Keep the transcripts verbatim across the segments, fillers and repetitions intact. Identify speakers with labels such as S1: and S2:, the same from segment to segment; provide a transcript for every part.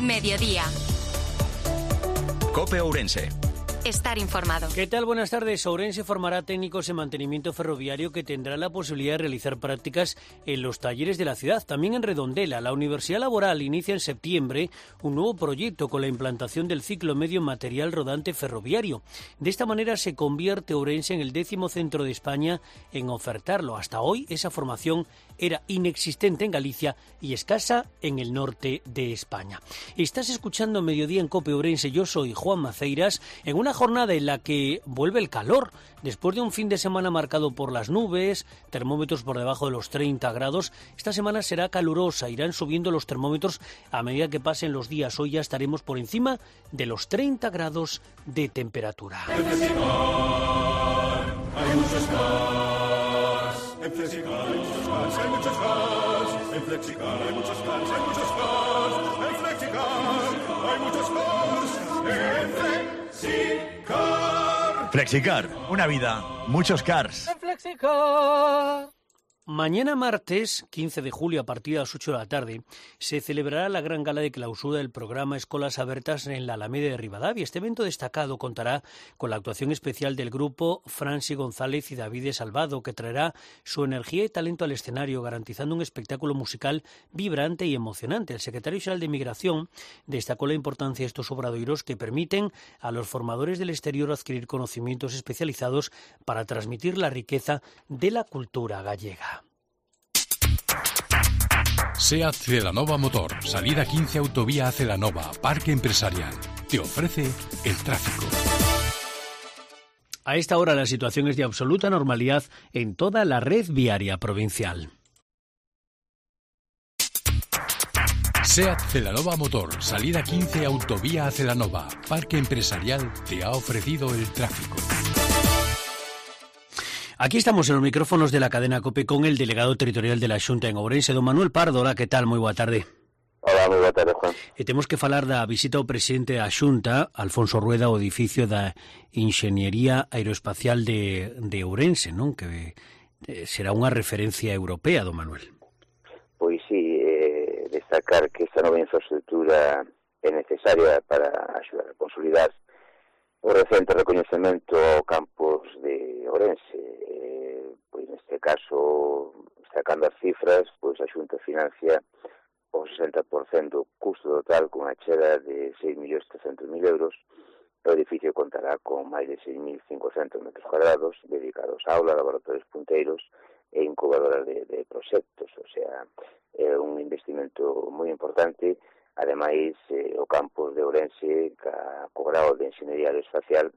S1: Mediodía.
S2: COPE Ourense.
S1: Estar informado.
S3: ¿Qué tal? Buenas tardes. Ourense formará técnicos en mantenimiento ferroviario que tendrán la posibilidad de realizar prácticas en los talleres de la ciudad. También en Redondela, la Universidad Laboral inicia en septiembre un nuevo proyecto con la implantación del ciclo medio material rodante ferroviario. De esta manera se convierte Ourense en el décimo centro de España en ofertarlo. Hasta hoy esa formación era inexistente en Galicia y escasa en el norte de España. Estás escuchando Mediodía en COPE Ourense. Yo soy Juan Maceiras, en una jornada en la que vuelve el calor. Después de un fin de semana marcado por las nubes, termómetros por debajo de los treinta grados, esta semana será calurosa. Irán subiendo los termómetros a medida que pasen los días. Hoy ya estaremos por encima de los treinta grados de temperatura.
S4: En Flexicar hay muchos cars. En Flexicar hay muchos cars, hay muchos cars. En Flexicar hay muchos cars, hay muchos cars. En Flexicar hay muchos cars. En Flexicar.
S2: Flexicar, una vida, muchos cars.
S3: En Flexicar. Mañana martes, quince de julio, a partir de las ocho de la tarde, se celebrará la gran gala de clausura del programa Escolas Abertas en la Alameda de Ribadavia. Este evento destacado contará con la actuación especial del grupo Franci González y David Salvado, que traerá su energía y talento al escenario, garantizando un espectáculo musical vibrante y emocionante. El secretario general de Migración destacó la importancia de estos obradoiros que permiten a los formadores del exterior adquirir conocimientos especializados para transmitir la riqueza de la cultura gallega.
S5: SEAT Celanova Motor, salida quince Autovía a Celanova, Parque Empresarial. Te ofrece el tráfico.
S3: A esta hora la situación es de absoluta normalidad en toda la red viaria provincial.
S5: SEAT Celanova Motor, salida quince Autovía a Celanova, Parque Empresarial, te ha ofrecido el tráfico.
S3: Aquí estamos en los micrófonos de la cadena COPE con el delegado territorial de la Xunta en Ourense, don Manuel Pardo. Hola, ¿qué tal? Moi boa tarde.
S6: Hola, moi boa tarde, Juan.
S3: E temos que falar da visita ao presidente da Xunta, Alfonso Rueda, ao edificio da Inxeniería Aeroespacial de, de Ourense, non? Que eh, será unha referencia europea, don Manuel.
S6: Pois sí, eh, destacar que esta nova infraestructura é necesaria para axudar a consolidar o recente recoñecemento ao campus de Ourense. Eh, pois neste caso, sacando as cifras, pois a Xunta financia o sesenta por cento do custo total con a chega de seis millóns trescentos mil euros. O edificio contará con máis de seis mil cincocentos metros cuadrados dedicados a aulas, laboratorios punteiros e incubadoras de, de proxectos. O sea, é un investimento moi importante. Ademais, eh, o campus de Ourense, ca, co grado de Enxeñería Aeroespacial,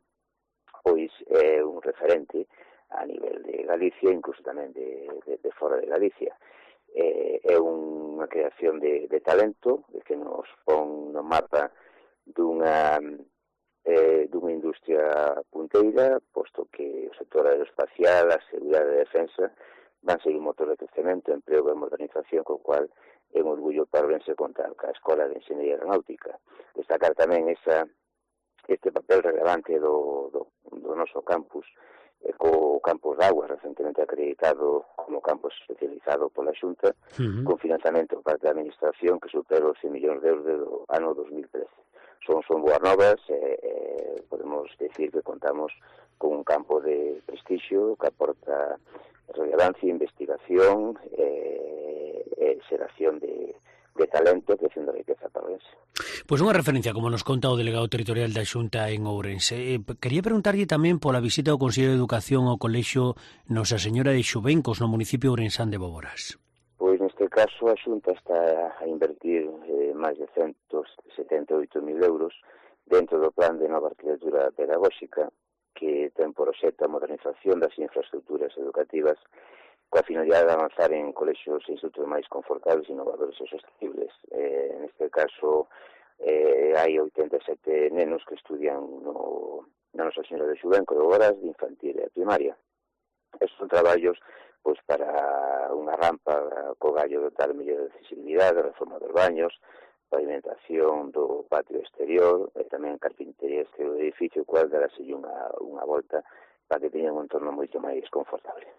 S6: pois é un referente a nivel de Galicia, incluso tamén de, de, de fora de Galicia. Eh, é unha creación de, de talento que nos pon no mapa dunha, eh, dunha industria punteira, posto que o sector aeroespacial, a seguridade e a defensa van ser un motor de crecemento, emprego e modernización, co cual é un orgullo para Ourense contar ca Escola de Enxeñería Aeronáutica. Destacar tamén esa, este papel relevante do, do, do noso campus, eh, co campus de Aguas, recentemente acreditado como campus especializado pola Xunta, uh-huh. con financiamento por parte da Administración que supera os cen millóns de euros do ano dos mil trece. Son, son boas novas, eh, eh, podemos decir que contamos con un campo de prestixio que aporta relevancia, investigación, eh, eh, xeración de, de talento, creación de riqueza para Ourense.
S3: Pois unha referencia, como nos conta o delegado territorial da Xunta en Ourense. Eh, quería preguntarlle tamén pola visita do Consello de Educación ao Colexio Nosa Señora de Xuvencos no municipio ourensán de Boborás.
S6: Pois neste caso a Xunta está a invertir eh, máis de ciento setenta e oito mil euros dentro do plan de nova arquitectura pedagóxica que ten por obxecto a modernización das infraestructuras educativas coa finalidade de avanzar en colexios e institutos máis confortables, innovadores e sostenibles. Eh, neste caso, eh, hai oitenta e sete nenos que estudian no, na Nosa Señora de Xuvenco de Boborás de infantil e primaria. Estes son traballos pois, para unha rampa co gallo de tal mellor de accesibilidade, reforma dos baños, pavimentación do patio exterior e tamén carpintería exterior do edificio, cual darase unha, unha volta para que teñan un entorno moito máis confortable.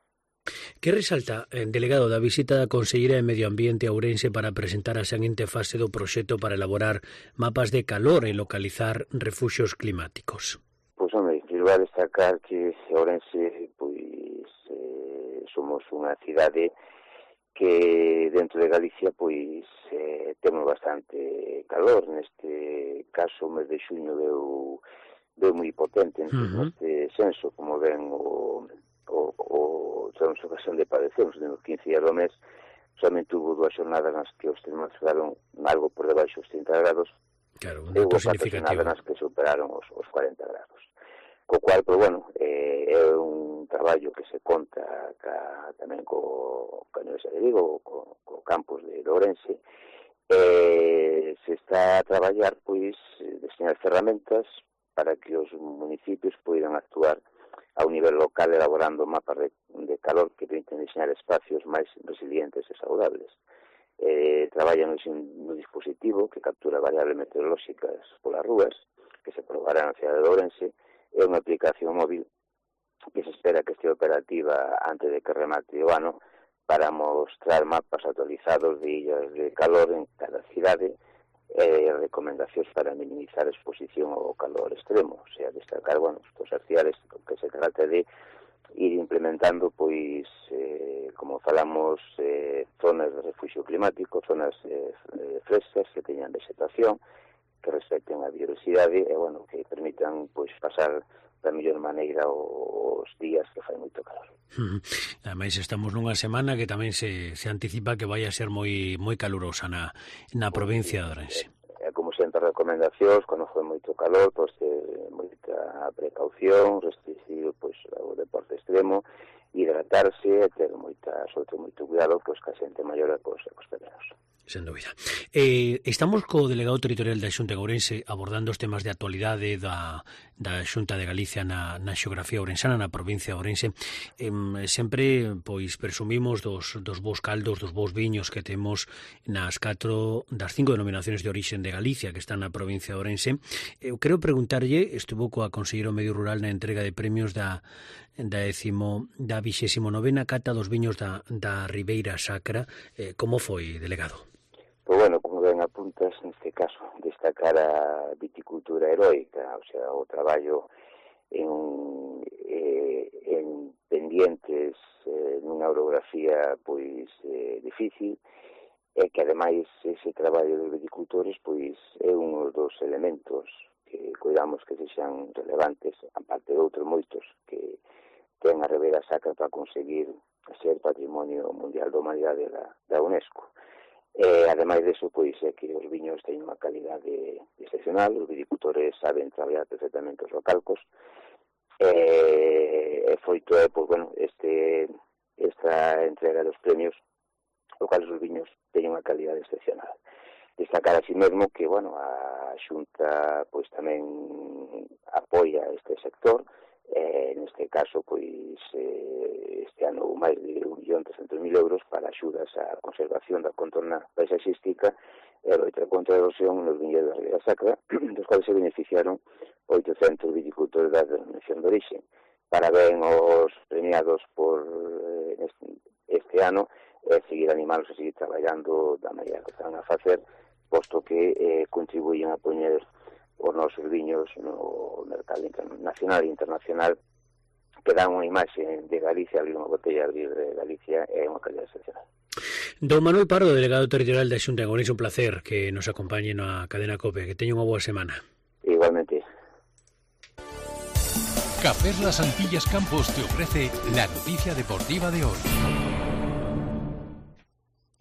S3: Que resalta, eh, delegado, da visita da Conselleira de Medio Ambiente a Ourense para presentar a seguinte fase do proxecto para elaborar mapas de calor e localizar refuxios climáticos?
S6: Pois, home, quero destacar que Ourense, pois, eh, somos unha cidade que dentro de Galicia, pois, eh, temos bastante calor. Neste caso, o mes de xuño deu, deu moi potente en uh-huh. este senso, como ven o, o, o temos ocasión de padecemos, nos quince días do mes, somente hubo dúas xornadas nas que os termómetros fueron algo por debaixo dos trinta grados,
S3: claro, un
S6: e
S3: dato
S6: hubo catro xornadas nas que superaron os, os cuarenta grados. Co cual, pois, bueno, eh, é un traballo que se conta ca, tamén co, ca Universidade de Vigo, co, co campus de Ourense. Eh, se está a traballar, pois, deseñar ferramentas para que os municipios poidan actuar a un nivel local elaborando mapas de, de calor que permiten diseñar espacios máis resilientes e saudables. Eh, traballan no dispositivo que captura variables meteorolóxicas polas rúas, que se probará na cidade de Ourense. É unha aplicación móvil que se espera que este operativa antes de que remate o ano para mostrar mapas actualizados de illas de calor en cada cidade e eh, recomendacións para minimizar a exposición ao calor extremo, o sea, destacar, bueno, as cidades que se trata de ir implementando, pois, eh, como falamos, eh, zonas de refugio climático, zonas eh, frescas que teñan vegetación, que respecten a biodiversidade e, bueno, que permitan, pois, pasar da mellor maneira os días que fai moito calor.
S3: Uh-huh. Ademais, estamos nunha semana que tamén se, se anticipa que vai a ser moi moi calurosa na, na provincia de Ourense.
S6: É, é, como sempre, recomendacións, cando foi moito calor, pois, ter moita precaución, restringir, pois, o deporte extremo, hidratarse e ter moita, sobre moito cuidado, pois, que a xente maior e cos, cos pequenos.
S3: Sen dúbida. Eh, estamos co delegado territorial da Xunta de Ourense abordando os temas de actualidade da, da Xunta de Galicia na, na xeografía ourensana, na provincia de Ourense. Eh, sempre, pois, presumimos dos, dos bons caldos, dos bons viños que temos nas catro das cinco denominaciones de orixen de Galicia que están na provincia de Ourense. Eu quero preguntarlle, estuvo coa Conselleiro Medio Rural na entrega de premios da da décimo, da vixésimo novena cata dos viños da, da Ribeira Sacra. Eh, como foi, delegado?
S6: Pois, bueno, como ben apuntas, neste caso, destacar a viticultura heroica, o sea, o traballo en, eh, en pendientes eh, nunha orografía, pois, eh, difícil, e que, ademais, ese traballo dos viticultores, pois, é un dos elementos que cuidamos que sexan relevantes, aparte de outros moitos que ten a Ribeira Sacra para conseguir ser Patrimonio Mundial da Humanidade da, da UNESCO. E, ademais deso, pois, é que os viños teñen unha calidade excepcional, os viticultores saben traballar perfectamente os localcos, e, e foi todo, pois, bueno, este, esta entrega dos premios, os cuales os viños teñen unha calidade excepcional. Destacar así mesmo que, bueno, a Xunta, pois, tamén apoia este sector. Eh, neste caso, pois, eh, este ano máis de un millón trescentos mil euros para axudas á conservación da contorna paisaxística e a loita contra a erosión nos viñedos da Ribeira Sacra, dos cuales se beneficiaron oitocentos viticultores da denominación de orixe. Parabén aos premiados por eh, este, este ano e eh, seguir animalos a seguir traballando da maneira que están a facer, posto que eh, contribuyen a poñer os nosos viños no mercado nacional e internacional, que dan unha imaxe de Galicia, abrir unha botella, abrir de Galicia, é unha calidad excepcional.
S3: Don Manuel Pardo, delegado territorial da Xunta de Ourense, un placer que nos acompañe na cadena COPE. Que teña unha boa semana.
S6: Igualmente.
S5: Cafés Las Antillas Campos te ofrece la noticia deportiva de hoy.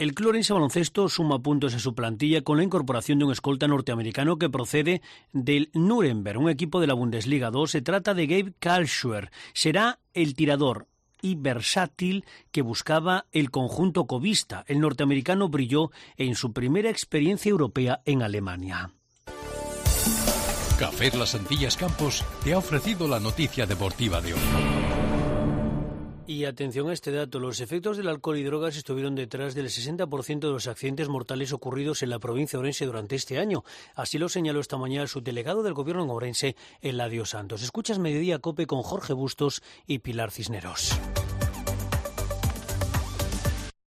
S3: El Club Ourense Baloncesto suma puntos en su plantilla con la incorporación de un escolta norteamericano que procede del Nuremberg, un equipo de la Bundesliga dos. Se trata de Gabe Kalschwer. Será el tirador y versátil que buscaba el conjunto covista. El norteamericano brilló en su primera experiencia europea en Alemania.
S5: Cafés Las Antillas Campos te ha ofrecido la noticia deportiva de hoy.
S3: Y atención a este dato, los efectos del alcohol y drogas estuvieron detrás del sesenta por ciento de los accidentes mortales ocurridos en la provincia de Ourense durante este año. Así lo señaló esta mañana el subdelegado del Gobierno en Ourense, Eladio Santos. Escuchas Mediodía COPE con Jorge Bustos y Pilar Cisneros.